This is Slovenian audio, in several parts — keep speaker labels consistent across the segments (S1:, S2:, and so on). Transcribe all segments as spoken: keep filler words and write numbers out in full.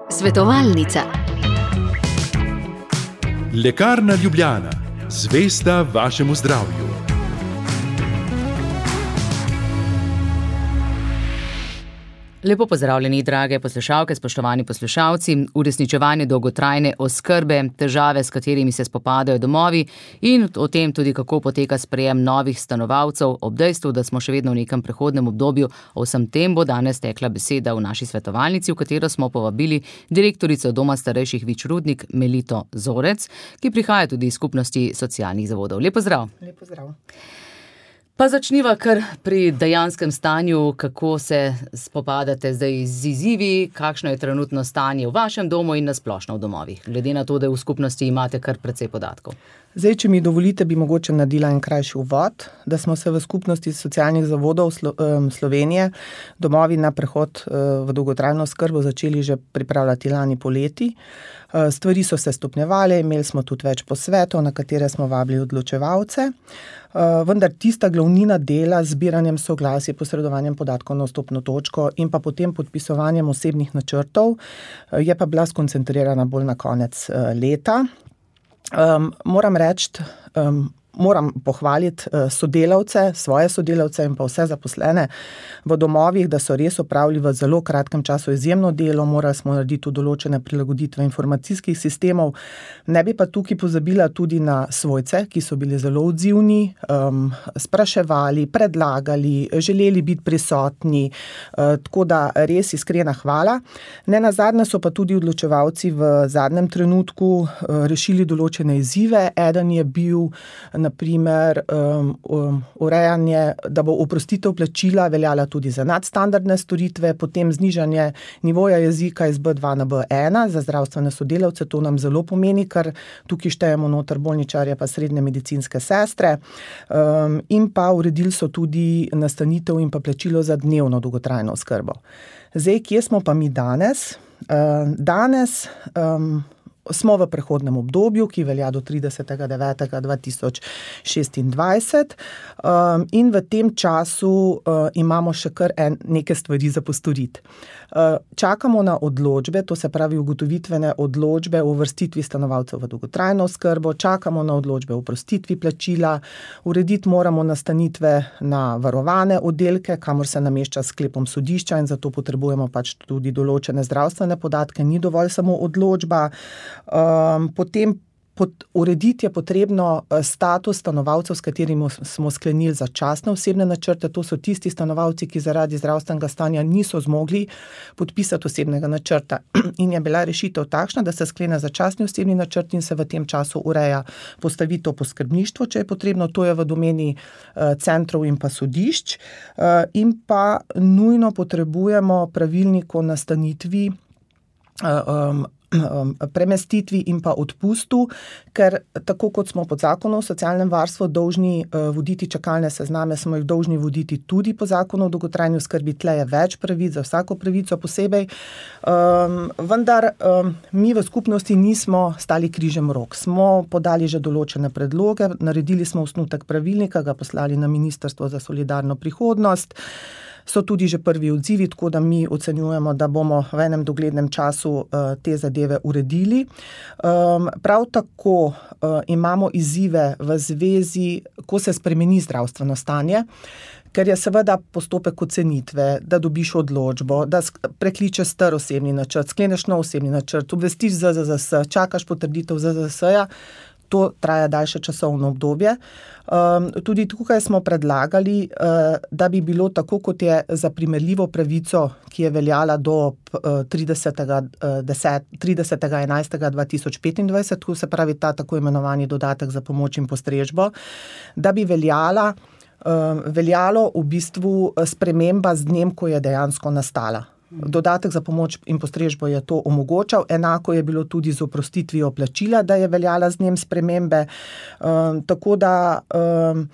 S1: Svetovalnica.
S2: Lekarna Ljubljana, zvesta vašemu zdravju.
S3: Lepo pozdravljeni, drage poslušalke, spoštovani poslušalci. Uresničevanje dolgotrajne oskrbe, težave, s katerimi se spopadajo domovi in o tem tudi, kako poteka sprejem novih stanovalcev, ob dejstvu, da smo še vedno v nekem prehodnem obdobju. O vsem tem bo danes tekla beseda v naši svetovalnici, v katero smo povabili direktorico Doma starejših Vič Rudnik Melito Zorec, ki prihaja tudi iz skupnosti socialnih zavodov. Lep pozdrav.
S4: Lep pozdrav.
S3: Pa začniva kar pri dejanskem stanju, kako se spopadate zdaj z izzivi, kakšno je trenutno stanje v vašem domu in nasplošno v domovih, glede na to, da v skupnosti imate kar precej podatkov.
S4: Zdaj, če mi dovolite, bi mogoče naredila en krajši uvod, da smo se v skupnosti socialnih zavodov Slo- Slovenije domovi na prehod v dolgotrajno oskrbo začeli že pripravljati lani poleti. Stvari so se stopnjevale, imeli smo tudi več posvetov, na katere smo vabili odločevalce, vendar tista glavnina dela z zbiranjem soglasij, posredovanjem podatkov na vstopno točko in pa potem podpisovanjem osebnih načrtov je pa bila skoncentrirana bolj na konec leta. Um, moram reči, um, moram pohvaliti sodelavce, svoje sodelavce in pa vse zaposlene v domovih, da so res opravili v zelo kratkem času izjemno delo, morali smo narediti določene prilagoditve informacijskih sistemov. Ne bi pa tukaj pozabila tudi na svojce, ki so bili zelo odzivni, um, spraševali, predlagali, želeli biti prisotni, uh, tako da res iskrena hvala. Ne nazadnje so pa tudi odločevalci v zadnjem trenutku uh, rešili določene izzive. Eden je bil na primer um, um, urejanje, da bo oprostitev plačila veljala tudi za nadstandardne storitve, potem znižanje nivoja jezika iz B dva na B ena za zdravstvene sodelavce, to nam zelo pomeni, ker tukaj štejemo noter bolničarje pa srednje medicinske sestre, um, in pa uredili so tudi nastanitev in pa plačilo za dnevno dolgotrajno oskrbo. Zdaj, kje smo pa mi danes? Uh, danes um, smo v prehodnem obdobju, ki velja do tridesetega devetega dva tisoč šestindvajset, um, in v tem času uh, imamo še kar en, neke stvari za postoriti. Uh, čakamo na odločbe, to se pravi ugotovitvene odločbe o uvrstitvi stanovalcev v dolgotrajno oskrbo, čakamo na odločbe o oprostitvi plačila, urediti moramo nastanitve na varovane oddelke, kamor se namešča s sklepom sodišča in zato potrebujemo pač tudi določene zdravstvene podatke, ni dovolj samo odločba. Um, potem pod, urediti je potrebno status stanovalcev, s katerimi smo sklenili začasne osebne načrte. To so tisti stanovalci, ki zaradi zdravstvenega stanja niso zmogli podpisati osebnega načrta. In je bila rešitev takšna, da se sklene začasni osebni načrt in se v tem času ureja postavitev po skrbništvu, če je potrebno, to je v domeni uh, centrov in pa sodišč. Uh, in pa nujno potrebujemo pravilnik o nastanitvi, uh, um, premestitvi in pa odpustu, ker tako kot smo pod zakonom o socialnem varstvu dolžni voditi čakalne sezname, smo jih dolžni voditi tudi po zakonu o dolgotrajni oskrbi. Tle je več pravic, za vsako pravico posebej. Um, vendar um, mi v skupnosti nismo stali križem rok. Smo podali že določene predloge, naredili smo osnutek pravilnika, ga poslali na Ministrstvo za solidarno prihodnost. So tudi že prvi odzivi, tako da mi ocenjujemo, da bomo v enem doglednem času uh, te zadeve uredili. Um, prav tako uh, imamo izzive v zvezi, ko se spremeni zdravstveno stanje, ker je seveda postopek ocenitve, da dobiš odločbo, da prekličeš star osebni načrt, skleneš nov osebni načrt, obvestiš Z Z Z S, čakaš potrditev Z Z S-ja, to traja daljše časovno obdobje. Um, tudi tukaj smo predlagali, uh, da bi bilo tako, kot je za primerljivo pravico, ki je veljala do uh, tridesetega enajstega dva tisoč petindvajset, tu se pravi ta tako imenovani dodatek za pomoč in postrežbo, da bi veljala, uh, veljalo v bistvu sprememba z dnem, ko je dejansko nastala. Dodatek za pomoč in postrežbo je to omogočal, enako je bilo tudi z oprostitvijo plačila, da je veljala z njem spremembe. Um, tako da um,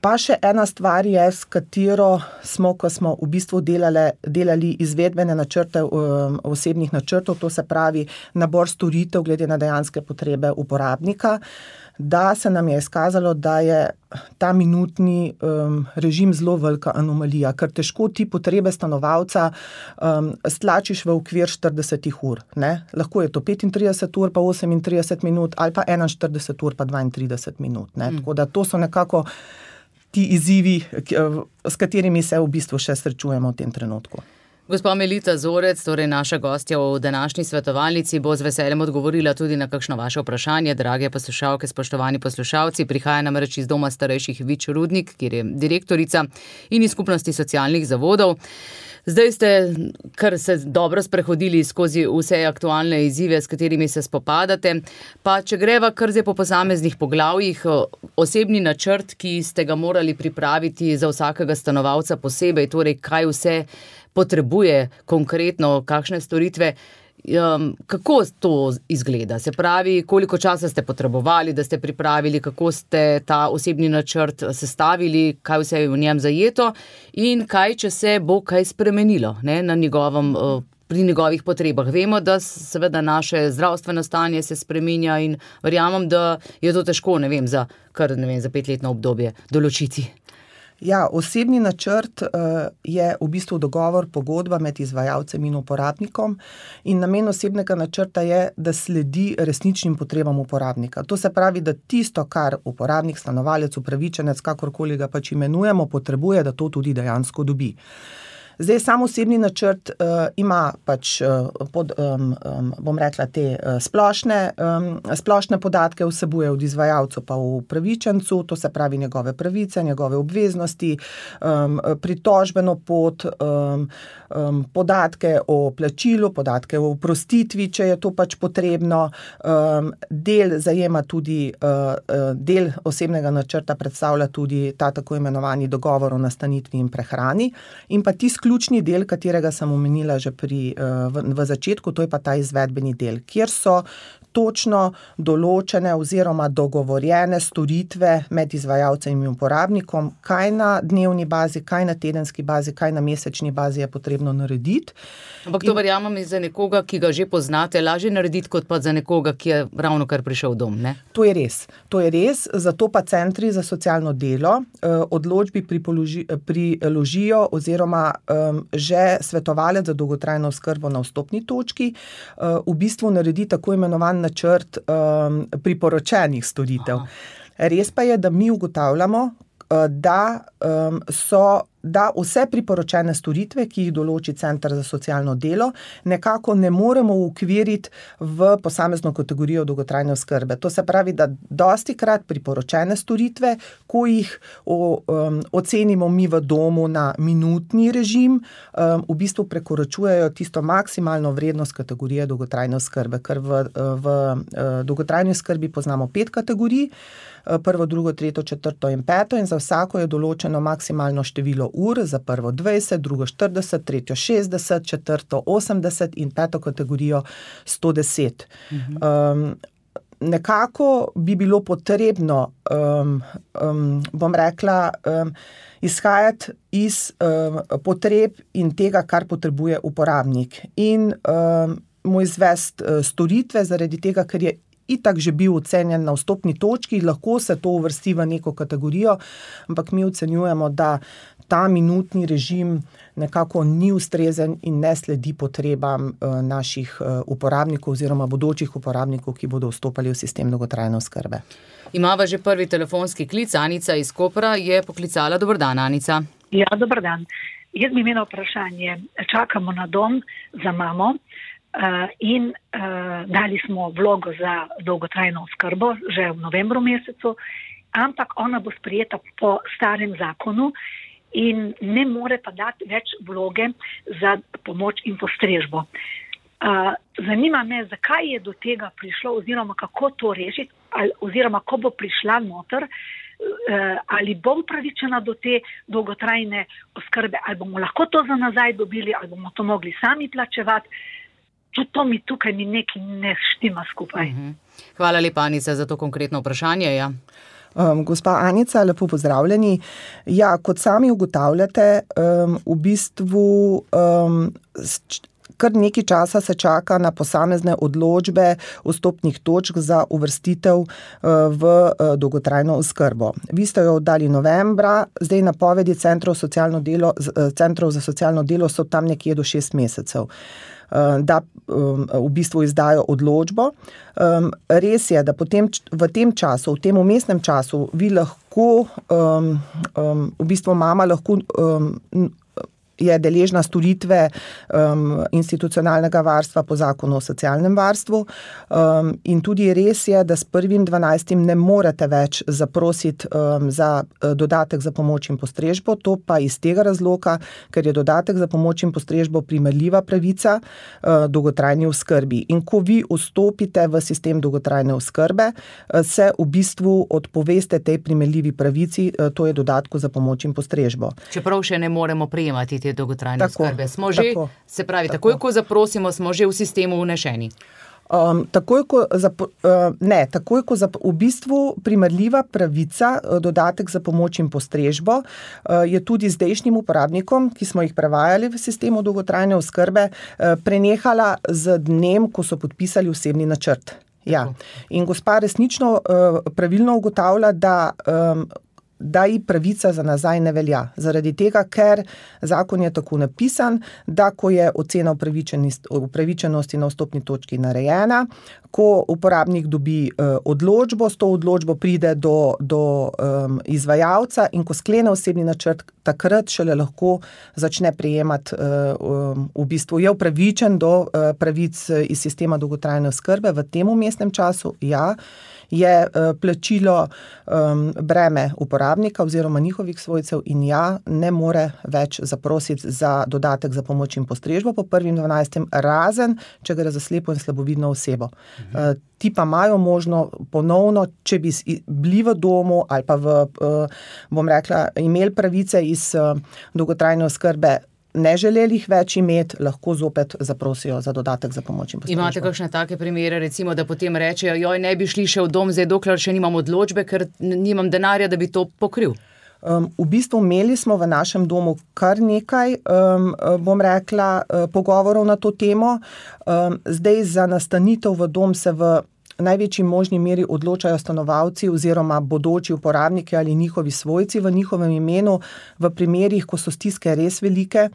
S4: pa še ena stvar je, s katero smo, ko smo v bistvu delali, delali izvedbene načrte um, osebnih načrtov, to se pravi nabor storitev glede na dejanske potrebe uporabnika. da se nam je izkazalo, da je ta minutni um, režim zelo velika anomalija, ker težko ti potrebe stanovalca um, stlačiš v okvir štirideset ur. Ne? Lahko je to petintrideset ur pa osemintrideset minut ali pa enainštirideset ur pa dvaintrideset minut. Ne? Mm. Tako da to so nekako ti izzivi, s katerimi se v bistvu še srečujemo v tem trenutku.
S3: Gospa Melita Zorec, torej naša gostja v današnji svetovalnici, bo z veseljem odgovorila tudi na kakšno vaše vprašanje. Drage poslušalke, spoštovani poslušalci, prihaja namreč iz Doma starejših Vič Rudnik, kjer je direktorica, in iz skupnosti socialnih zavodov. Zdaj ste kar se dobro sprehodili skozi vse aktualne izzive, s katerimi se spopadate. Pa če greva kar zdaj po posameznih poglavjih, osebni načrt, ki ste ga morali pripraviti za vsakega stanovalca posebej, torej kaj vse potrebuje konkretno, kakšne storitve, um, kako to izgleda? Se pravi, koliko časa ste potrebovali, da ste pripravili, kako ste ta osebni načrt sestavili, kaj vse je v njem zajeto in kaj, če se bo kaj spremenilo, ne, na njegovem, pri njegovih potrebah. Vemo, da seveda naše zdravstveno stanje se spreminja in verjamem, da je to težko, ne vem, za kar, ne vem, za petletno obdobje določiti.
S4: Ja, osebni načrt uh, je v bistvu dogovor, pogodba med izvajalcem in uporabnikom in namen osebnega načrta je, da sledi resničnim potrebam uporabnika. To se pravi, da tisto, kar uporabnik, stanovalec, upravičenec, kakorkoli ga pač imenujemo, potrebuje, da to tudi dejansko dobi. Zdaj, sam osebni načrt uh, ima pač, uh, pod, um, um, bom rekla, te uh, splošne, um, splošne podatke vsebuje od izvajalcu pa v upravičencu, to se pravi njegove pravice, njegove obveznosti, um, pritožbeno pot, um, um, podatke o plačilu, podatke o oprostitvi, če je to pač potrebno. Um, del zajema tudi, uh, uh, del osebnega načrta predstavlja tudi ta tako imenovani dogovor o nastanitvi in prehrani in pa ti ključni del, katerega sem omenila že pri, v, v začetku, to je pa ta izvedbeni del, kjer so točno določene oziroma dogovorjene storitve med izvajalcem in uporabnikom, kaj na dnevni bazi, kaj na tedenski bazi, kaj na mesečni bazi je potrebno narediti.
S3: Ampak to in... verjamem za nekoga, ki ga že poznate, lažje narediti, kot pa za nekoga, ki je ravno kar prišel dom, ne?
S4: To je res. To je res, zato pa centri za socialno delo eh, odločbi pripoloži, priložijo oziroma eh, že svetovalec za dolgotrajno oskrbo na vstopni točki eh, v bistvu naredi tako imenovan načrt um, priporočenih storitev. Aha. Res pa je, da mi ugotavljamo, uh, da um, so da vse priporočene storitve, ki jih določi Center za socialno delo, nekako ne moremo ukviriti v posamezno kategorijo dolgotrajne oskrbe. To se pravi, da dostikrat priporočene storitve, ko jih o, um, ocenimo mi v domu na minutni režim, um, v bistvu prekoračujejo tisto maksimalno vrednost kategorije dolgotrajne oskrbe, ker v, v, v dolgotrajni oskrbi poznamo pet kategorij, prvo, drugo, tretjo, četrto in peto in za vsako je določeno maksimalno število ur, za prvo dvajset, drugo štirideset, tretjo šestdeset, četrto osemdeset in peto kategorijo sto deset. Mhm. Um, nekako bi bilo potrebno, um, um, bom rekla, um, izhajati iz um, potreb in tega, kar potrebuje uporabnik in um, mu izvesti uh, storitve zaradi tega, ker je itak že bil ocenjen na vstopni točki, lahko se to uvrsti v neko kategorijo, ampak mi ocenjujemo, da ta minutni režim nekako ni ustrezen in ne sledi potrebam uh, naših uh, uporabnikov oziroma bodočih uporabnikov, ki bodo vstopali v sistem dolgotrajne oskrbe.
S3: Imava že prvi telefonski klic, Anica iz Kopra je poklicala. Dober dan, Anica.
S1: Ja, dober dan. Jaz bi imela vprašanje. Čakamo na dom za mamo. Uh, in uh, dali smo vlogo za dolgotrajno oskrbo že v novembru mesecu, ampak ona bo sprejeta po starem zakonu in ne more pa dati več vloge za pomoč in postrežbo. Uh, zanima me, zakaj je do tega prišlo oziroma kako to rešiti, ali, oziroma ko bo prišla noter, uh, ali bo upravičena do te dolgotrajne oskrbe, ali bomo lahko to za nazaj dobili, ali bomo to mogli sami plačevati. To mi tukaj mi nekaj ne štima skupaj.
S3: Uh-huh. Hvala lepa, Anica, za to konkretno vprašanje. Ja.
S4: Um, gospa Anica, lepo pozdravljeni. Ja, kot sami ugotavljate, um, v bistvu um, kar nekaj časa se čaka na posamezne odločbe vstopnih točk za uvrstitev v dolgotrajno oskrbo. Vi ste jo oddali novembra, zdaj napovedi centrov, socialno delo, centrov za socialno delo so tam nekje do šest mesecev, da v bistvu izdajo odločbo. Res je, da potem v tem času, v tem umestnem času, vi lahko, v bistvu mama lahko je deležna storitve um, institucionalnega varstva po zakonu o socialnem varstvu um, in tudi res je, da s prvim dvanajstim ne morete več zaprositi um, za dodatek za pomoč in postrežbo, to pa iz tega razloga, ker je dodatek za pomoč in postrežbo primerljiva pravica uh, dolgotrajni oskrbi. In ko vi vstopite v sistem dolgotrajne oskrbe, uh, se v bistvu odpoveste tej primerljivi pravici, uh, to je dodatku za pomoč in postrežbo.
S3: Čeprav še ne moremo prejemati dolgotrajne
S4: tako,
S3: oskrbe. Smo že,
S4: tako,
S3: se pravi,
S4: tako.
S3: takoj, ko zaprosimo, smo že v sistemu vnešeni.
S4: Um, takoj, ko zap, uh, ne, takoj, ko zap, v bistvu primerljiva pravica, dodatek za pomoč in postrežbo, uh, je tudi zdajšnjim uporabnikom, ki smo jih prevajali v sistemu dolgotrajne oskrbe, uh, prenehala z dnem, ko so podpisali osebni načrt. Ja. In gospa resnično uh, pravilno ugotavlja, da um, da ji pravica za nazaj ne velja. Zaradi tega, ker zakon je tako napisan, da ko je ocena upravičenosti na vstopni točki narejena, ko uporabnik dobi uh, odločbo, s to odločbo pride do, do um, izvajalca in ko sklene osebni načrt, takrat šele lahko začne prejemati, uh, um, v bistvu je upravičen do uh, pravic iz sistema dolgotrajne oskrbe. V tem umestnem času, ja, je uh, plačilo um, breme uporabnika oziroma njihovih svojcev in ja, ne more več zaprositi za dodatek za pomoč in postrežbo po prvim dvanajstem, razen, če gre za slepo in slabovidno osebo. Mhm. Uh, ti pa imajo možno ponovno, če bi bili v domu ali pa v, uh, bom rekla, imeli pravice iz uh, dolgotrajne oskrbe, ne želeli jih več imeti, lahko zopet zaprosijo za dodatek za pomoč in postrežbo.
S3: Imate kakšne take primere, recimo, da potem rečejo, joj, ne bi šli še v dom, zdaj dokler še nimam odločbe, ker nimam denarja, da bi to pokril?
S4: Um, v bistvu imeli smo v našem domu kar nekaj, um, bom rekla, pogovorov na to temo. Um, zdaj za nastanitev v dom se v največji možni meri odločajo stanovalci oziroma bodoči uporabniki ali njihovi svojci v njihovem imenu v primerih, ko so stiske res velike,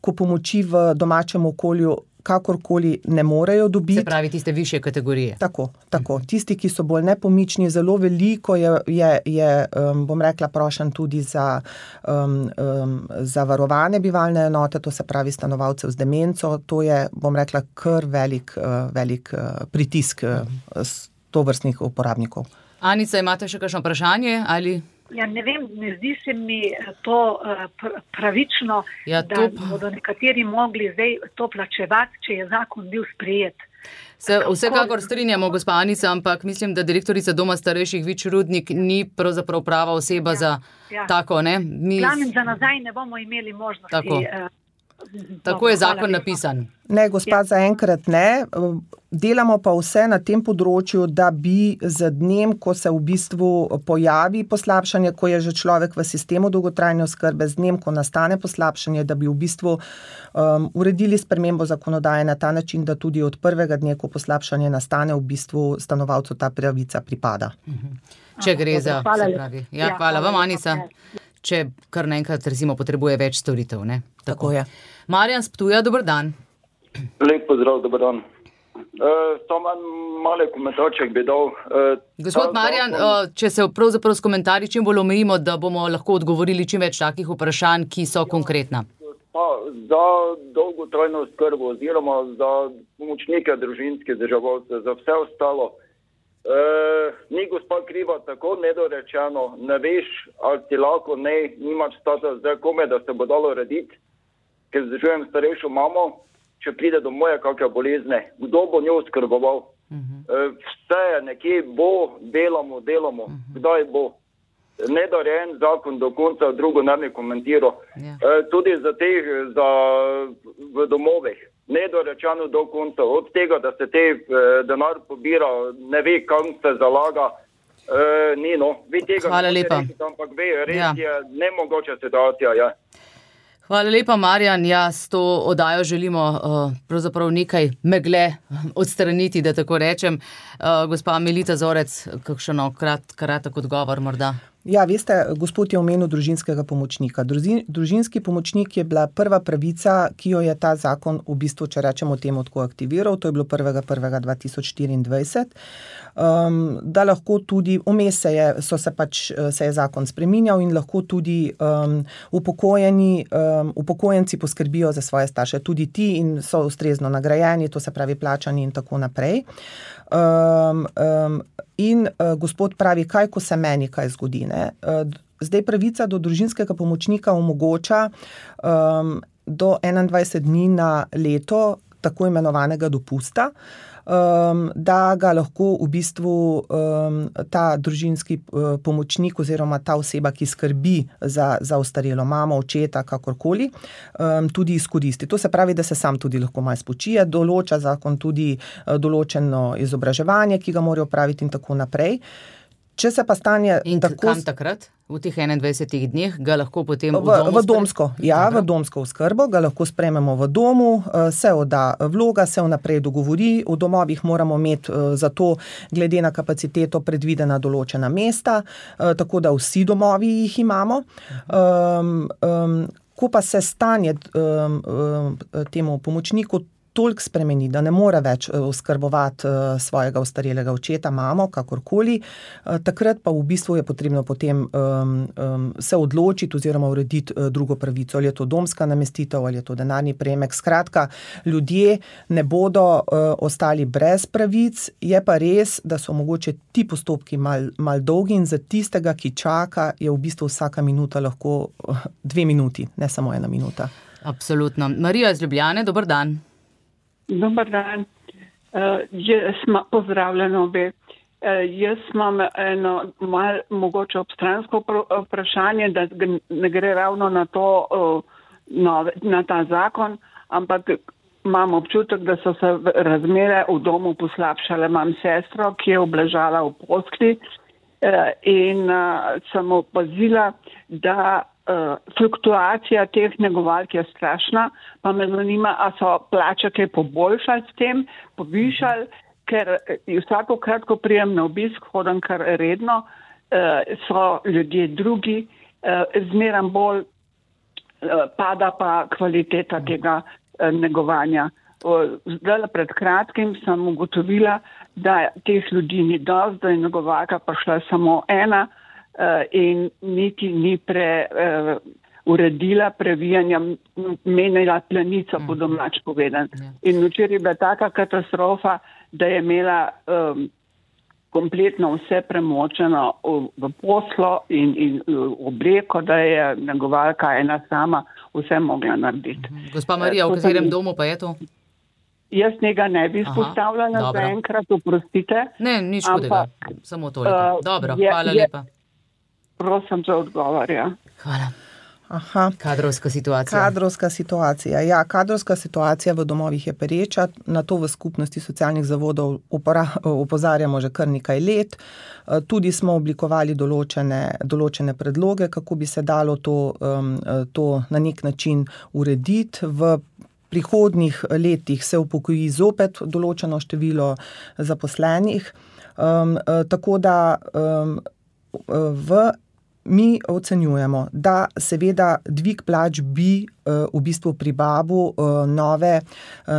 S4: ko pomoči v domačem okolju kakorkoli ne morejo dobiti.
S3: Se pravi, tiste višje kategorije.
S4: Tako, tako. Tisti, ki so bolj nepomični, zelo veliko je, je, je um, bom rekla, prošen tudi za, um, um, za varovane bivalne enote, to se pravi stanovalcev z demenco. To je, bom rekla, kar velik, uh, velik uh, pritisk uh, tovrstnih uporabnikov.
S3: Anica, imate še kakšno vprašanje ali...
S1: Ja, ne vem, ne zdi se mi to pravično, ja, to... da bodo nekateri mogli zdaj to plačevati, če je zakon bil sprejet.
S3: Se vsekakor strinjamo, gospa Anica, ampak mislim, da direktorica Doma starejših Vič Rudnik ni pravzaprav prava oseba ja, za ja. tako, ne? Mi...
S1: Planem za nazaj ne bomo imeli možnosti.
S3: Tako,
S1: uh,
S3: tako je zakon napisan.
S4: Ne, gospa, ja. zaenkrat ne. Delamo pa vse na tem področju, da bi z dnem, ko se v bistvu pojavi poslabšanje, ko je že človek v sistemu dolgotrajne oskrbe, z dnem, ko nastane poslabšanje, da bi v bistvu um, uredili spremembo zakonodaje na ta način, da tudi od prvega dne, ko poslabšanje nastane, v bistvu stanovalcu ta pravica pripada.
S3: Mhm. Če gre
S1: Aha,
S3: za...
S1: Hvala,
S3: pravi. Ja, ja, hvala vam, Anica. Če kar naenkrat, recimo, potrebuje več storitev, ne?
S4: Tako, Tako je.
S3: Marjan z Ptuja, dober dan.
S5: Lep pozdrav, dober dan. Uh, to manj male komentarček bi dal. Uh,
S3: Gospod Marjan, uh, če se pravzaprav s komentarji čim bolj omejimo, da bomo lahko odgovorili čim več takih vprašanj, ki so ja, konkretna.
S5: Pa, za dolgotrajno oskrbo oziroma za pomočnike družinske državalce, za vse ostalo. Uh, ni gospa kriva tako nedorečeno, ne veš, ali ti lahko ne, nimaš stata zdaj kome, da se bo dalo rediti, ker zdržujem starejšo mamo, če pride do moje kakve bolezne, kdo bo njo oskrboval. Uh-huh. Uh, vse je nekje bo, delamo, delamo, uh-huh. kdaj bo. Nedorejen zakon do konca, drugo ne bi komentiral. Yeah. Uh, tudi za teh, za v domovih. Nedorečeno do konca, od tega, da se te eh, denar pobira, ne ve, kam se zalaga, eh, ni no. Vi tega
S3: Hvala lepa.
S5: Reči, ampak ve, res
S3: ja.
S5: je nemogoča situacija. Ja.
S3: Hvala lepa, Marjan. Ja, s to oddajo želimo uh, pravzaprav nekaj megle odstraniti, da tako rečem. Uh, gospa Melita Zorec, kakšen krat, kratek odgovor morda?
S4: Ja, veste, gospod je omenil družinskega pomočnika. Družin, družinski pomočnik je bila prva pravica, ki jo je ta zakon v bistvu, če rečemo temu, tako aktiviral. To je bilo prvega prvega dva tisoč štiriindvajset. Um, da lahko tudi, vmes se je, so se pač, se je zakon spreminjal in lahko tudi um, upokojeni, um, upokojenci poskrbijo za svoje starše. Tudi ti in so ustrezno nagrajeni, to se pravi plačani in tako naprej. Um, um, in uh, gospod pravi, kaj, ko se meni kaj zgodi. Ne? Uh, zdaj pravica do družinskega pomočnika omogoča um, do enaindvajset dni na leto tako imenovanega dopusta, um, da ga lahko v bistvu um, ta družinski uh, pomočnik oziroma ta oseba, ki skrbi za, za ostarelo mamo, očeta, kakorkoli, um, tudi izkoristi. To se pravi, da se sam tudi lahko malo spočije, določa zakon tudi uh, določeno izobraževanje, ki ga morajo opraviti in tako naprej. Če se pa stanje
S3: in
S4: tako...
S3: kam takrat? V teh enaindvajsetih dneh ga lahko potem v,
S4: v domu... V domsko, spre... ja, Dobro. v domsko oskrbo, ga lahko sprejmemo v domu, se odda vloga, se vnaprej dogovori, v domovih moramo imeti za to, glede na kapaciteto, predvidena določena mesta, tako da vsi domovi jih imamo. Um, um, ko pa se stanje um, um, temu pomočniku toliko spremeni, da ne more več oskrbovati svojega ostarelega očeta, mamo, kakorkoli, takrat pa v bistvu je potrebno potem um, um, se odločiti oziroma urediti drugo pravico, ali je to domska namestitev, ali je to denarni prejemek. Skratka, ljudje ne bodo uh, ostali brez pravic, je pa res, da so mogoče ti postopki mal, mal dolgi in za tistega, ki čaka, je v bistvu vsaka minuta lahko dve minuti, ne samo ena minuta.
S3: Absolutno. Marija iz Ljubljane, dober dan.
S6: Dobar dan. Uh, jaz ma, pozdravljeno obe. Uh, jaz imam eno malo mogoče obstransko vprašanje, da ne gre ravno na to, uh, nove, na ta zakon, ampak imam občutek, da so se razmere v domu poslabšale. Imam sestro, ki je obležala v postelji uh, in uh, sem opazila, da Uh, fluktuacija teh negovalk je strašna, pa me zanima, a so plače kaj poboljšali s tem, povišali, ker vsakokrat, ko prijem na obisk, hodim kar redno, uh, so ljudje drugi, uh, zmeram bolj uh, pada pa kvaliteta tega uh, negovanja. Uh, zdaj pred kratkim sem ugotovila, da teh ljudi ni dosti, da je negovalka prišla samo ena, Uh, in niti ni pre, uh, uredila previjanja, menila planico, po domač povedan. In včeraj je bila taka katastrofa, da je imela um, kompletno vse premočeno v, v poslo in, in obleko, da je negovalka ena sama vse mogla narediti.
S3: Gospa Marija, v katerem domu pa je to?
S6: Jaz njega ne bi izpostavljala za enkrat, oprostite.
S3: Ne, nič hudega, samo toliko. Uh, Dobro, je, hvala je, lepa.
S6: Prosim za odgovor, ja.
S3: Hvala.
S4: Aha.
S3: Kadrovska situacija.
S4: Kadrovska situacija. Ja, kadrovska situacija v domovih je pereča. Na to v skupnosti socialnih zavodov opozarjamo že kar nekaj let. Tudi smo oblikovali določene, določene predloge, kako bi se dalo to, to na nek način urediti. V prihodnjih letih se upokoji zopet določeno število zaposlenih. Um, tako da um, v mi ocenjujemo, da seveda dvig plač bi v bistvu pribavu nove,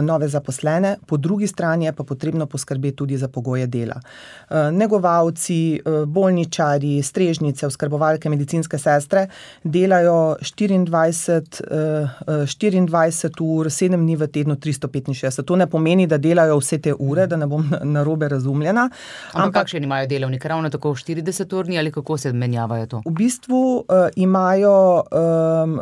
S4: nove zaposlene, po drugi strani je pa potrebno poskrbeti tudi za pogoje dela. Negovalci, bolničari, strežnice, oskrbovalke, medicinske sestre delajo štiriindvajset, štiriindvajset ur, sedem dni v tednu, tristo petinšestdeset. To ne pomeni, da delajo vse te ure, da ne bom narobe razumljena.
S3: Ampak, ampak kakšen imajo delovnik? Ravno tako štirideset urni ali kako se menjavajo to?
S4: V bistvu uh, imajo um,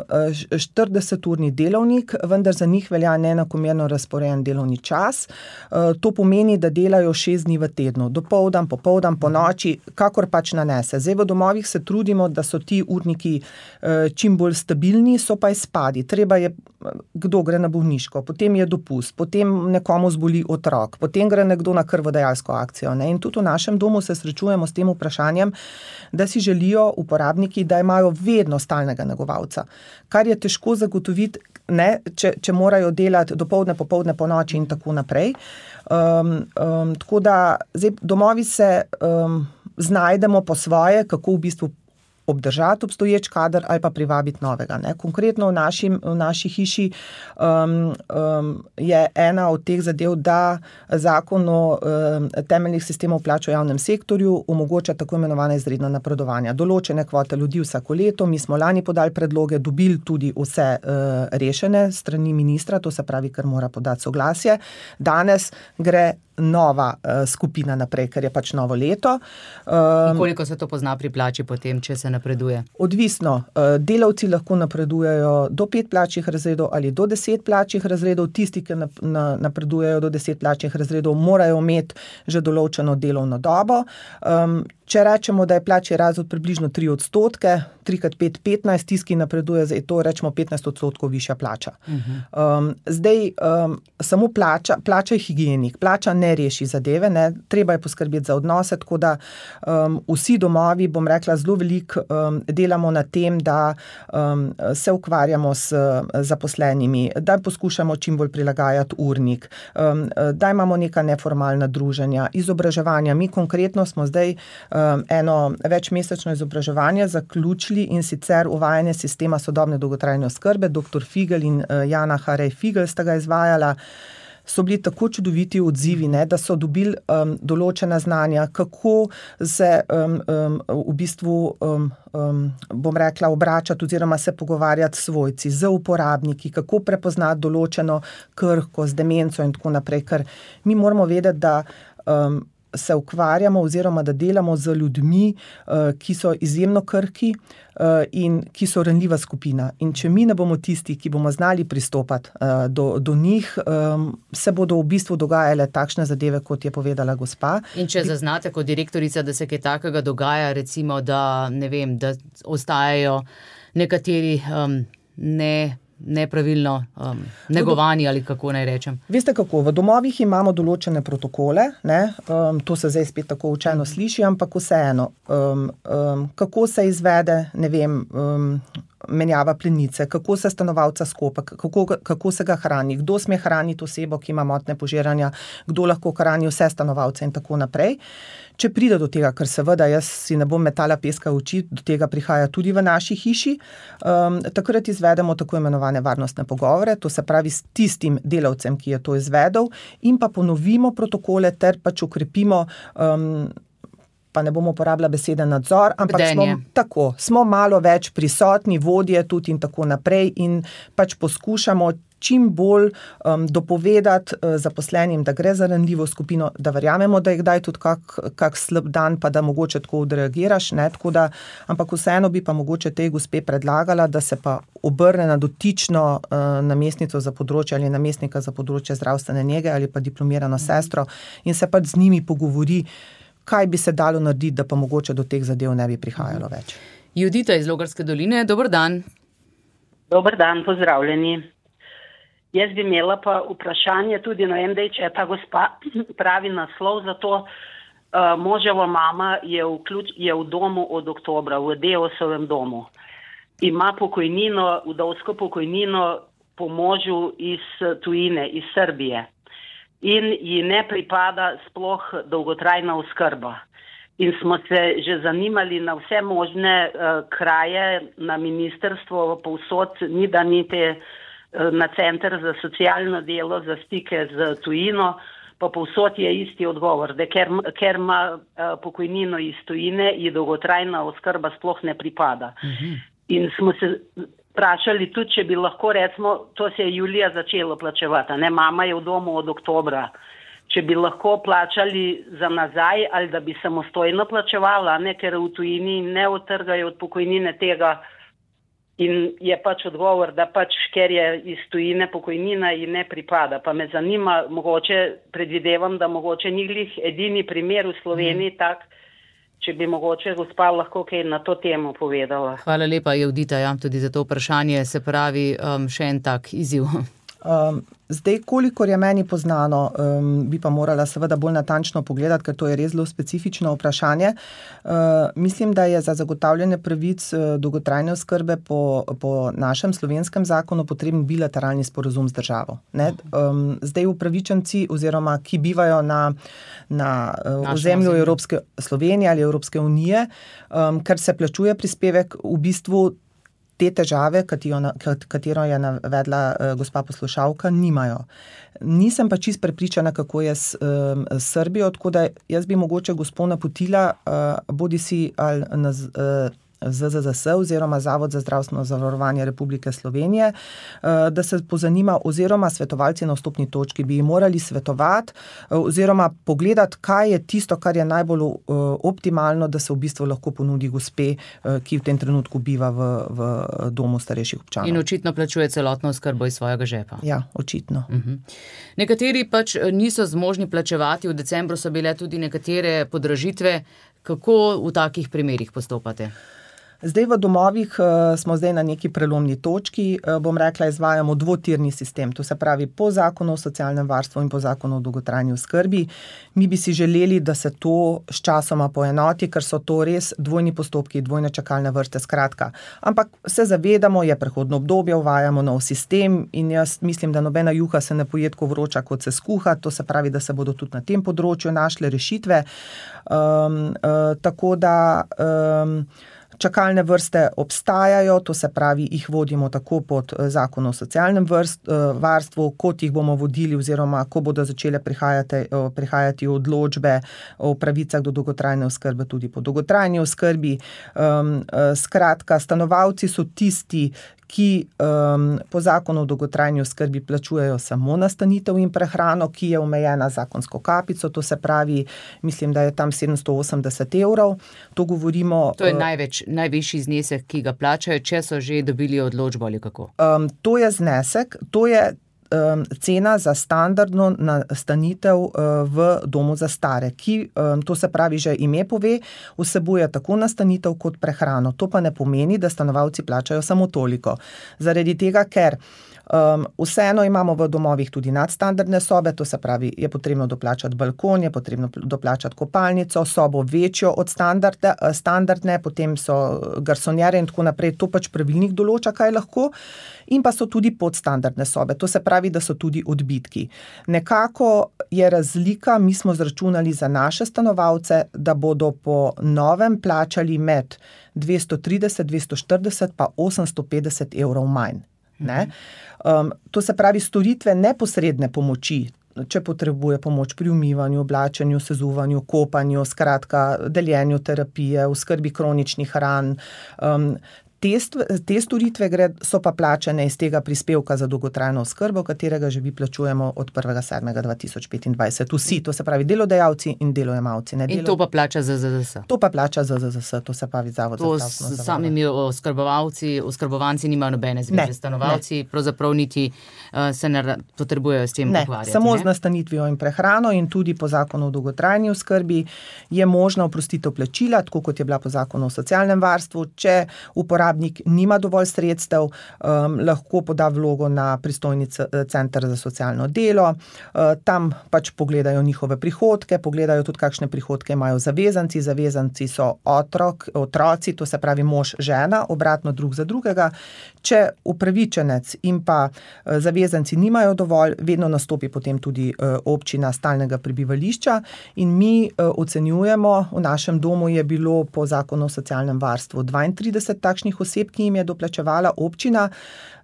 S4: štirideseturni delovnik, vendar za njih velja neenakomerno razporejen delovni čas. Uh, to pomeni, da delajo šest dni v tednu, dopoldan, popoldan, po noči, kakor pač nanese. Zdaj v domovih se trudimo, da so ti urniki uh, čim bolj stabilni, so pa izpadi. Treba je, kdo gre na bolniško, potem je dopust, potem nekomu zboli otrok, potem gre nekdo na krvodajalsko akcijo. Ne? In tudi v našem domu se srečujemo s tem vprašanjem, da si želijo uporabiti uporabniki, da imajo vedno stalnega negovalca, kar je težko zagotoviti, ne, če, če morajo delati dopoldne, popoldne, po noči in tako naprej. Um, um, tako da zdaj, domovi se um, znajdemo po svoje, kako v bistvu obdržati obstoječ kader ali pa privabiti novega. Ne. Konkretno v, našim, v naši hiši um, um, je ena od teh zadev, da zakon o um, temeljnih sistemov plač v javnem sektorju omogoča tako imenovane izredna napredovanja. Določene kvote ljudi vsako leto, mi smo lani podali predloge, dobili tudi vse uh, rešene strani ministra, to se pravi, ker mora podati soglasje. Danes gre nova uh, skupina naprej, ker je pač novo leto.
S3: Um, In koliko se to pozna pri plači potem, če se napreduje?
S4: Odvisno. Uh, delavci lahko napredujejo do pet plačnih razredov ali do deset plačnih razredov. Tisti, ki nap- na, napredujejo do deset plačnih razredov, morajo imeti že določeno delovno dobo. Um, Če rečemo, da je plačni razred približno tri odstotke, tri krat pet, petnajst, tisti, ki napreduje, zdaj to rečemo petnajst odstotkov višja plača. Uh-huh. Um, zdaj, um, samo plača, plača je higienik, plača ne reši zadeve, ne, treba je poskrbeti za odnose, tako da um, vsi domovi, bom rekla, zelo veliko um, delamo na tem, da um, se ukvarjamo s zaposlenimi, da poskušamo čim bolj prilagajati urnik, um, da imamo neka neformalna druženja, izobraževanja. Mi konkretno smo zdaj eno večmesečno izobraževanje zaključili in sicer uvajanje sistema sodobne dolgotrajne oskrbe. Doktor Figel in Jana Harej Figel sta ga izvajala. So bili tako čudoviti odzivi, ne, da so dobili um, določena znanja, kako se um, um, v bistvu, um, um, bom rekla, obračati oziroma se pogovarjati s svojci, z uporabniki, kako prepoznati določeno krhkost, demenco in tako naprej, ker mi moramo vedeti, da um, se ukvarjamo oziroma da delamo z ljudmi, ki so izjemno krhki in ki so ranljiva skupina. In če mi ne bomo tisti, ki bomo znali pristopati do, do njih, se bodo v bistvu dogajale takšne zadeve, kot je povedala gospa.
S3: In če zaznate kot direktorica, da se kaj takega dogaja, recimo, da ne vem, da ostajajo nekateri um, ne nepravilno um, negovani ali kako naj rečem.
S4: Veste kako, v domovih imamo določene protokole, ne? Um, to se zdaj spet tako učeno sliši, ampak vseeno, um, um, kako se izvede, ne vem, um, menjava plenice, kako se stanovalca skopa, kako, kako se ga hrani, kdo sme hraniti osebo, ki ima motnje požiranja, kdo lahko hrani vse stanovalce in tako naprej. Če pride do tega, ker seveda jaz si ne bom metala peska v oči, do tega prihaja tudi v naši hiši, um, takrat izvedemo tako imenovane varnostne pogovore, to se pravi s tistim delavcem, ki je to izvedel, in pa ponovimo protokole ter pač ukrepimo, um, pa ne bomo uporabljali besede nadzor, ampak smo, tako, smo malo več prisotni, vodje tudi in tako naprej in pač poskušamo čim bolj um, dopovedati uh, zaposlenim, da gre za ranljivo skupino, da verjamemo, da je kdaj tudi kak, kak slab dan, pa da mogoče tako odreagiraš, ne, tako da, ampak vseeno bi pa mogoče tej gospe predlagala, da se pa obrne na dotično uh, namestnico za področje ali namestnika za področje zdravstvene nege ali pa diplomirano sestro in se pač z njimi pogovori, kaj bi se dalo narediti, da pa mogoče do teh zadev ne bi prihajalo več.
S3: Judita iz Logarske doline, dober dan.
S7: Dober dan, pozdravljeni. Jaz bi imela pa vprašanje tudi, no vem, da če ta gospa pravi naslov za to, uh, moževa mama je v, ključ, je v domu od oktobra, v Deosovem domu. Ima pokojnino, vdovsko pokojnino po možu iz tujine, iz Srbije. In ji ne pripada sploh dolgotrajna oskrba. In smo se že zanimali na vse možne uh, kraje, na ministrstvo, povsod, ni da ni te na center za socialno delo, za stike z tujino, pa povsod je isti odgovor, da ker, ker ima pokojnino iz tujine, ji dolgotrajna oskrba sploh ne pripada. Uh-huh. In smo se vprašali tudi, če bi lahko, recimo, to se je julija začelo plačevati, ne, mama je v domu od oktobra, če bi lahko plačali za nazaj ali da bi samostojno plačevala, ne, ker v tujini ne odtrgajo od pokojnine tega. In je pač odgovor, da pač, ker je iz tujine pokojnina ji ne pripada. Pa me zanima, mogoče predvidevam, da mogoče ni glih edini primer v Sloveniji mm. tak, če bi mogoče gospa lahko kaj na to temo povedala.
S3: Hvala lepa, Judita, ja, tudi za to vprašanje. Se pravi, um, še en tak izziv.
S4: Um, zdaj, kolikor je meni poznano, um, bi pa morala seveda bolj natančno pogledati, ker to je res zelo specifično vprašanje. Uh, mislim, da je za zagotavljanje pravic uh, dolgotrajne oskrbe po, po našem slovenskem zakonu potreben bilateralni sporazum z državo. Ne? Um, zdaj upravičenci oziroma ki bivajo na, na uh, ozemlju Evropske Slovenije ali Evropske unije, um, ker se plačuje prispevek, v bistvu te težave, katero je navedla gospa poslušalka, nimajo. Nisem pa čist prepričana, kako je s, s Srbijo, tako da jaz bi mogoče gospo napotila, bodi si ali na Z Z Z S oziroma Zavod za zdravstveno zavarovanje Republike Slovenije, da se pozanima oziroma svetovalci na vstopni točki bi morali svetovati oziroma pogledati, kaj je tisto, kar je najbolj optimalno, da se v bistvu lahko ponudi gospe, ki v tem trenutku biva v, v domu starejših občanov.
S3: In očitno plačuje celotno oskrbo iz svojega žepa.
S4: Ja, očitno.
S3: Uh-huh. Nekateri pač niso zmožni plačevati, v decembru so bile tudi nekatere podražitve. Kako v takih primerih postopate?
S4: Zdaj v domovih uh, smo zdaj na neki prelomni točki, uh, bom rekla, izvajamo dvotirni sistem, to se pravi po zakonu o socialnem varstvu in po zakonu o dolgotrajni oskrbi. Mi bi si želeli, da se to s časoma poenoti, ker so to res dvojni postopki, dvojne čakalne vrste, skratka. Ampak se zavedamo, je prehodno obdobje, uvajamo nov sistem in jaz mislim, da nobena juha se ne poje tako vroča, kot se skuha, to se pravi, da se bodo tudi na tem področju našle rešitve. Um, uh, tako da... Um, Čakalne vrste obstajajo, to se pravi, jih vodimo tako pod zakon o socialnem vrst, varstvu, kot jih bomo vodili oziroma ko bodo začele prihajati, prihajati odločbe o pravicah do dolgotrajne oskrbe tudi po dolgotrajni oskrbi. Um, skratka, stanovalci so tisti, ki um, po zakonu o dolgotrajni oskrbi plačujejo samo nastanitev in prehrano, ki je omejena zakonsko kapico, to se pravi, mislim, da je tam sedemsto osemdeset evrov. To govorimo...
S3: To je največ, najvišji znesek, ki ga plačajo, če so že dobili odločbo ali kako?
S4: Um, to je znesek, to je um, cena za standardno nastanitev uh, v domu za stare, ki, um, to se pravi, že ime pove, vsebuje tako nastanitev kot prehrano. To pa ne pomeni, da stanovalci plačajo samo toliko. Zaradi tega, ker Um, vseeno imamo v domovih tudi nadstandardne sobe, to se pravi, je potrebno doplačati balkon, je potrebno doplačati kopalnico, sobo večjo od standarde, standardne, potem so garsonjere in tako naprej, to pač pravilnik določa, kaj lahko, in pa so tudi podstandardne sobe, to se pravi, da so tudi odbitki. Nekako je razlika, mi smo zračunali za naše stanovalce, da bodo po novem plačali med dvesto trideset, dvesto štirideset pa osemsto petdeset evrov manj. Ne? Um, to se pravi storitve neposredne pomoči, če potrebuje pomoč pri umivanju, oblačenju, sezuvanju, kopanju, skratka, deljenju terapije, v skrbi kroničnih ran. Um, Te, te storitve gre, so pa plačane iz tega prispevka za dolgotrajno oskrbo, katerega že vi plačujemo od prvega sedmega dva tisoč petindvajset. Vsi, to se pravi delodajalci in delojemalci. Ne,
S3: in
S4: delo...
S3: to pa plača Z Z Z S?
S4: To pa plača Z Z Z S, to se pravi Zavod
S3: to
S4: za zdravstveno zavarovanje.
S3: To s samimi oskrbovalci, oskrbovanci nimajo nobene zveze, stanovalci pravzaprav niti uh, se ne potrebujejo s tem ukvarjati.
S4: Samo ne? Z nastanitvijo in prehrano in tudi po zakonu o dolgotrajni oskrbi je možna oprostitev plačila, tako kot je bila po zakonu o socialnem varstvu, če uporabnik nima dovolj sredstev, um, lahko poda vlogo na pristojni center za socialno delo, uh, tam pač pogledajo njihove prihodke, pogledajo tudi, kakšne prihodke imajo zavezanci, zavezanci so otrok, otroci, to se pravi mož, žena, obratno drug za drugega. Če upravičenec in pa uh, zavezanci nimajo dovolj, vedno nastopi potem tudi uh, občina stalnega prebivališča in mi uh, ocenjujemo, v našem domu je bilo po zakonu o socialnem varstvu dvaintrideset takšnih oseb, ki jim je doplačevala občina.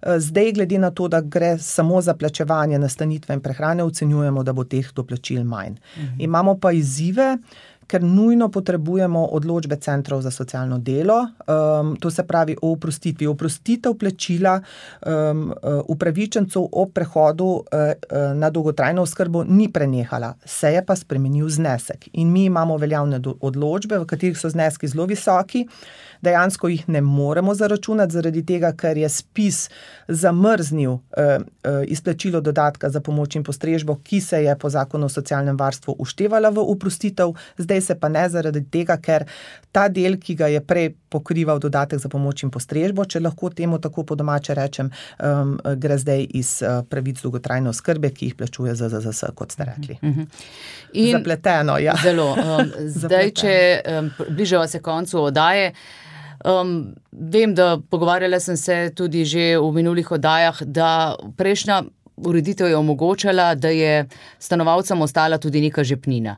S4: Zdaj, glede na to, da gre samo za plačevanje nastanitve in prehrane, ocenjujemo, da bo teh doplačil manj. Mhm. Imamo pa izzive, ker nujno potrebujemo odločbe centrov za socialno delo, um, to se pravi o oprostitvi. Oprostitev plačila um, upravičencev ob prehodu uh, na dolgotrajno oskrbo ni prenehala, se je pa spremenil znesek. In mi imamo veljavne odločbe, v katerih so zneski zelo visoki, dejansko jih ne moremo zaračunati, zaradi tega, ker je spis zamrznil uh, uh, izplačilo dodatka za pomoč in postrežbo, ki se je po zakonu o socialnem varstvu uštevala v oprostitev, zdaj zdaj se pa ne zaradi tega, ker ta del, ki ga je prej pokrival dodatek za pomoč in postrežbo, če lahko temu tako po domače rečem, um, gre zdaj iz uh, pravic dolgotrajne oskrbe, ki jih plačuje Z Z Z S, kot ste rekli.
S3: Uh-huh. In
S4: zapleteno, ja.
S3: Zelo. Um, zdaj, če um, bližava se koncu oddaje, um, vem, da pogovarjala sem se tudi že v minulih oddajah, da prejšnja ureditev je omogočala, da je stanovalcem ostala tudi neka žepnina.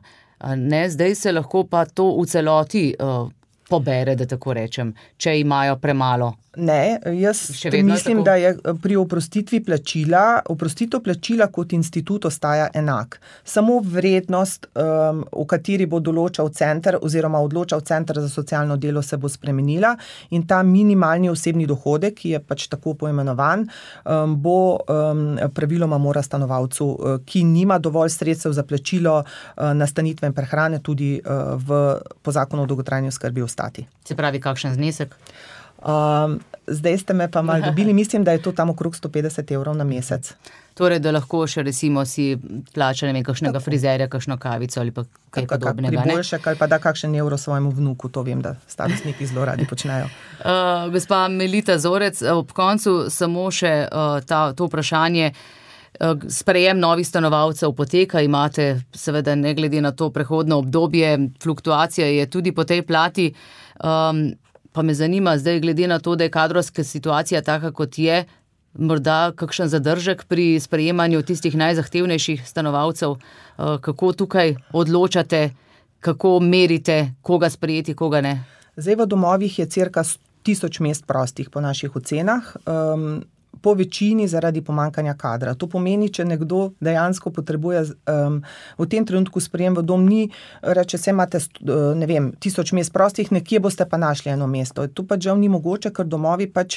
S3: Ne, zdaj se lahko pa to v celoti uh, pobere, da tako rečem, če imajo premalo.
S4: Ne, jaz mislim, da je pri oprostitvi plačila, oprostitev plačila kot institut ostaja enak. Samo vrednost, um, v kateri bo določal center oziroma odločal center za socialno delo, se bo spremenila in ta minimalni osebni dohodek, ki je pač tako poimenovan, um, bo um, praviloma mora stanovalcu, uh, ki nima dovolj sredstev za plačilo uh, nastanitve in prehrane, tudi uh, v, po zakonu o dolgotrajni oskrbi ostati.
S3: Se pravi, kakšen znesek?
S4: Um, zdaj ste me pa malo dobili, mislim, da je to tam okrog sto petdeset evrov na mesec.
S3: Torej, da lahko še recimo si plača, ne vem, kakšnega frizerja, kakšno kavico ali pa kaj
S4: Tako,
S3: podobnega.
S4: Priboljšek ali pa da kakšen evro svojemu vnuku, to vem, da starostniki zelo radi počnejo.
S3: Uh, gospa Melita Zorec, ob koncu samo še uh, ta, to vprašanje. Sprejem novih stanovalcev poteka, imate seveda ne glede na to prehodno obdobje, fluktuacija je tudi po tej plati. Um, pa me zanima zdaj glede na to, da je kadrovska situacija taka, kot je, morda kakšen zadržek pri sprejemanju tistih najzahtevnejših stanovalcev, uh, kako tukaj odločate, kako merite, koga sprejeti, koga ne?
S4: Zdaj v domovih je cirka tisoč mest prostih po naših ocenah. Um, po večini zaradi pomankanja kadra. To pomeni, če nekdo dejansko potrebuje um, v tem trenutku sprejem v dom, ni, reče, se imate, ne vem, tisoč mest prostih, nekje boste pa našli eno mesto. To pač žal ni mogoče, ker domovi pač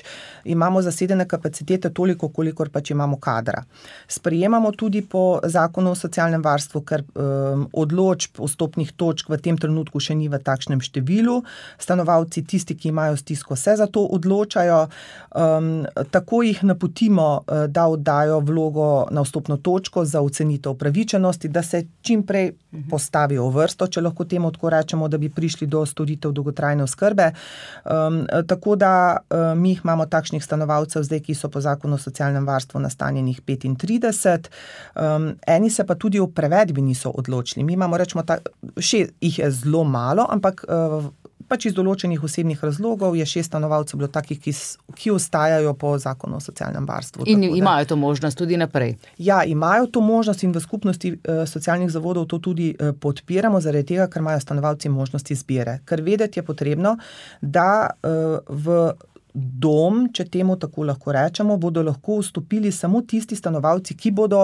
S4: imamo zasedene kapacitete toliko, kolikor pač imamo kadra. Sprejemamo tudi po zakonu o socialnem varstvu, ker um, odločb vstopnih točk v tem trenutku še ni v takšnem številu. Stanovalci, tisti, ki imajo stisko, se za to odločajo. Um, tako jih napotimo, da oddajo vlogo na vstopno točko za ocenitev upravičenosti, da se čim prej postavijo v vrsto, če lahko temu tako rečemo, da bi prišli do storitev dolgotrajne oskrbe. Um, tako da um, mi imamo takšnih stanovalcev zdaj, ki so po zakonu o socialnem varstvu nastanjenih petintrideset. Um, eni se pa tudi o prevedbi niso odločili. Mi imamo, rečemo, ta, še jih je zelo malo, ampak uh, pač iz določenih osebnih razlogov je šest stanovalcev bilo takih, ki, ki ostajajo po zakonu o socialnem varstvu.
S3: In imajo to možnost tudi naprej?
S4: Ja, imajo to možnost in v skupnosti uh, socialnih zavodov to tudi uh, podpiramo, zaradi tega, ker imajo stanovalci možnost izbire. Ker vedeti je potrebno, da uh, v dom, če temu tako lahko rečemo, bodo lahko vstopili samo tisti stanovalci, ki bodo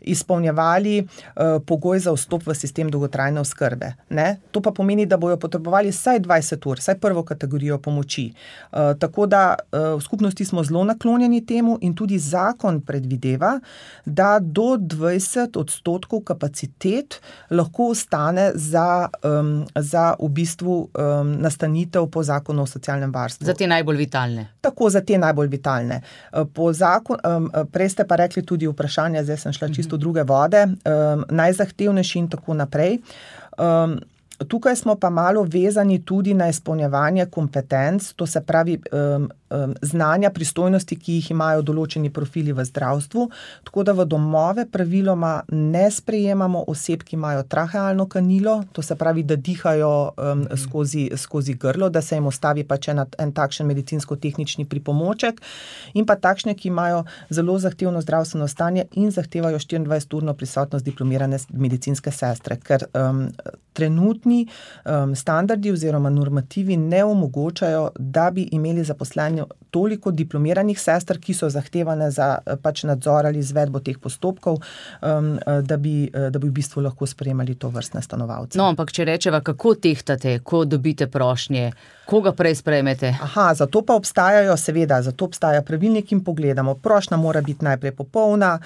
S4: izpolnjevali uh, pogoj za vstop v sistem dolgotrajne oskrbe. Ne? To pa pomeni, da bojo potrebovali vsaj dvajset ur, vsaj prvo kategorijo pomoči. Uh, tako da uh, v skupnosti smo zelo naklonjeni temu in tudi zakon predvideva, da do dvajset odstotkov kapacitet lahko ostane za, um, za v bistvu um, nastanitev po zakonu o socialnem varstvu.
S3: Za te najbolj vitalne.
S4: Tako, za te najbolj vitalne. Po zakon, prej ste pa rekli tudi vprašanje, zdaj sem šla čisto druge vode, najzahtevnejši in tako naprej. Tukaj smo pa malo vezani tudi na izpolnjevanje kompetenc, to se pravi um, um, znanja, pristojnosti, ki jih imajo določeni profili v zdravstvu, tako da v domove praviloma ne sprejemamo oseb, ki imajo trahealno kanilo, to se pravi, da dihajo um, skozi, skozi grlo, da se jim ostavi pač en, en takšen medicinsko-tehnični pripomoček in pa takšne, ki imajo zelo zahtevno zdravstveno stanje in zahtevajo štiriindvajseturno prisotnost diplomirane medicinske sestre, ker um, trenutni Um, standardi oziroma normativi ne omogočajo, da bi imeli zaposleni toliko diplomiranih sester, ki so zahtevane za pač nadzor ali izvedbo teh postopkov, um, da, bi, da bi v bistvu lahko sprejemali to vrstne stanovalce.
S3: No, ampak če rečeva, kako tehtate, ko dobite prošnje, koga prej sprejmete?
S4: Aha, zato pa obstajajo, seveda, zato obstaja pravilnik in pogledamo. Prošnja mora biti najprej popolna,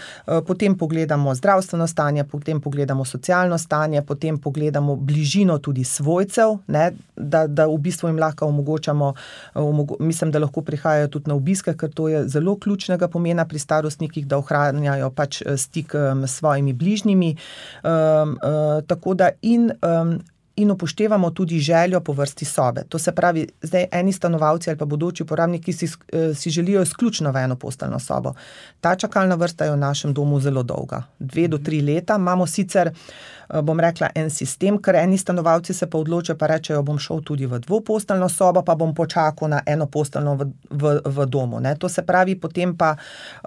S4: potem pogledamo zdravstveno stanje, potem pogledamo socialno stanje, potem pogledamo bližino tudi svojcev, ne, da, da v bistvu jim lahko omogočamo, omogo, mislim, da lahko prihajajo tudi na obiske, ker to je zelo ključnega pomena pri starostnikih, da ohranjajo pač stik um, s svojimi bližnjimi. Um, uh, tako da in um, in upoštevamo tudi željo po vrsti sobe. To se pravi, zdaj eni stanovalci ali pa bodoči uporabniki si, si želijo izključno v eno posteljno sobo. Ta čakalna vrsta je v našem domu zelo dolga. Dve do tri leta. Imamo sicer, bom rekla, en sistem, ker eni stanovalci se pa odločijo, pa rečejo, bom šel tudi v dvoposteljno sobo, pa bom počakal na eno posteljno v, v, v domu. Ne. To se pravi, potem pa...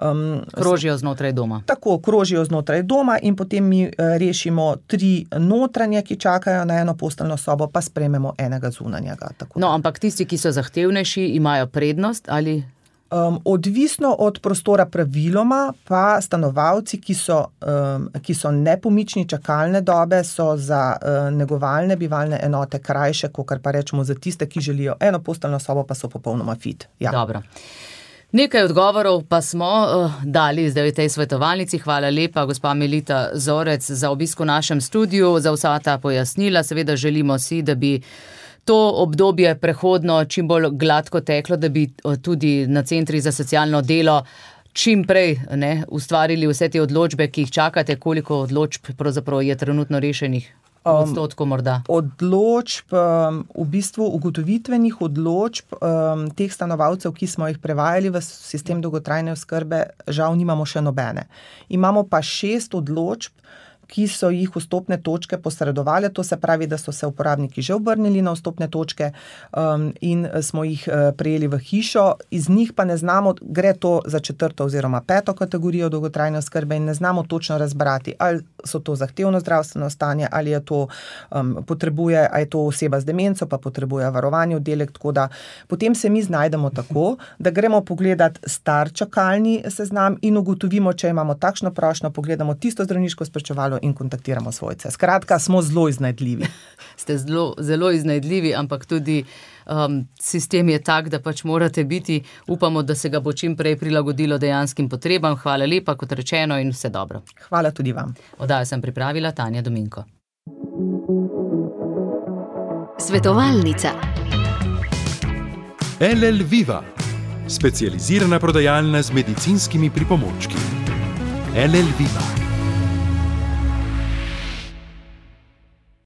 S4: Um,
S3: krožijo znotraj doma.
S4: Tako, krožijo znotraj doma in potem mi uh, rešimo tri notranje, ki čakajo na eno posteljno sobo, pa sprejmemo enega zunanjega. Tako.
S3: No, ampak tisti, ki so zahtevnejši, imajo prednost ali...
S4: Um, odvisno od prostora praviloma, pa stanovalci, ki so, um, ki so nepomični čakalne dobe, so za uh, negovalne bivalne enote krajše, kakor pa rečemo za tiste, ki želijo eno posteljno sobo, pa so popolnoma fit. Ja.
S3: Dobro. Nekaj odgovorov pa smo uh, dali zdaj v tej svetovalnici. Hvala lepa, gospa Melita Zorec, za obisk v našem studiu, za vsa ta pojasnila. Seveda želimo si, da bi to obdobje prehodno čim bolj gladko teklo, da bi tudi na centri za socialno delo čim prej ne, ustvarili vse te odločbe, ki jih čakate. Koliko odločb pravzaprav je trenutno rešenih? Odstotko morda.
S4: Um, odločb, um, v bistvu ugotovitvenih odločb um, teh stanovalcev, ki smo jih prevajali v sistem dolgotrajne oskrbe, žal nimamo še nobene. Imamo pa šest odločb, ki so jih vstopne točke posredovali, to se pravi, da so se uporabniki že obrnili na vstopne točke um, in smo jih uh, prejeli v hišo. Iz njih pa ne znamo, gre to za četrto oziroma peto kategorijo dolgotrajne oskrbe in ne znamo točno razbrati, ali so to zahtevno zdravstveno stanje, ali je to um, potrebuje, ali je to oseba z demenco, pa potrebuje varovanje oddelek, tako da potem se mi znajdemo tako, da gremo pogledati star čakalni seznam in ugotovimo, če imamo takšno prošnjo, pogledamo tisto zdravniško spričevalo in kontaktiramo svojce. Skratka, smo zelo iznajdljivi.
S3: Ste zelo, zelo iznajdljivi, ampak tudi um, sistem je tak, da pač morate biti. Upamo, da se ga bo čim prej prilagodilo dejanskim potrebam. Hvala lepa, kot rečeno, in vse dobro.
S4: Hvala tudi vam.
S3: Oddajo sem pripravila Tanja Dominko.
S2: Svetovalnica. L L Viva. Specializirana prodajalna z medicinskimi pripomočki. L L Viva.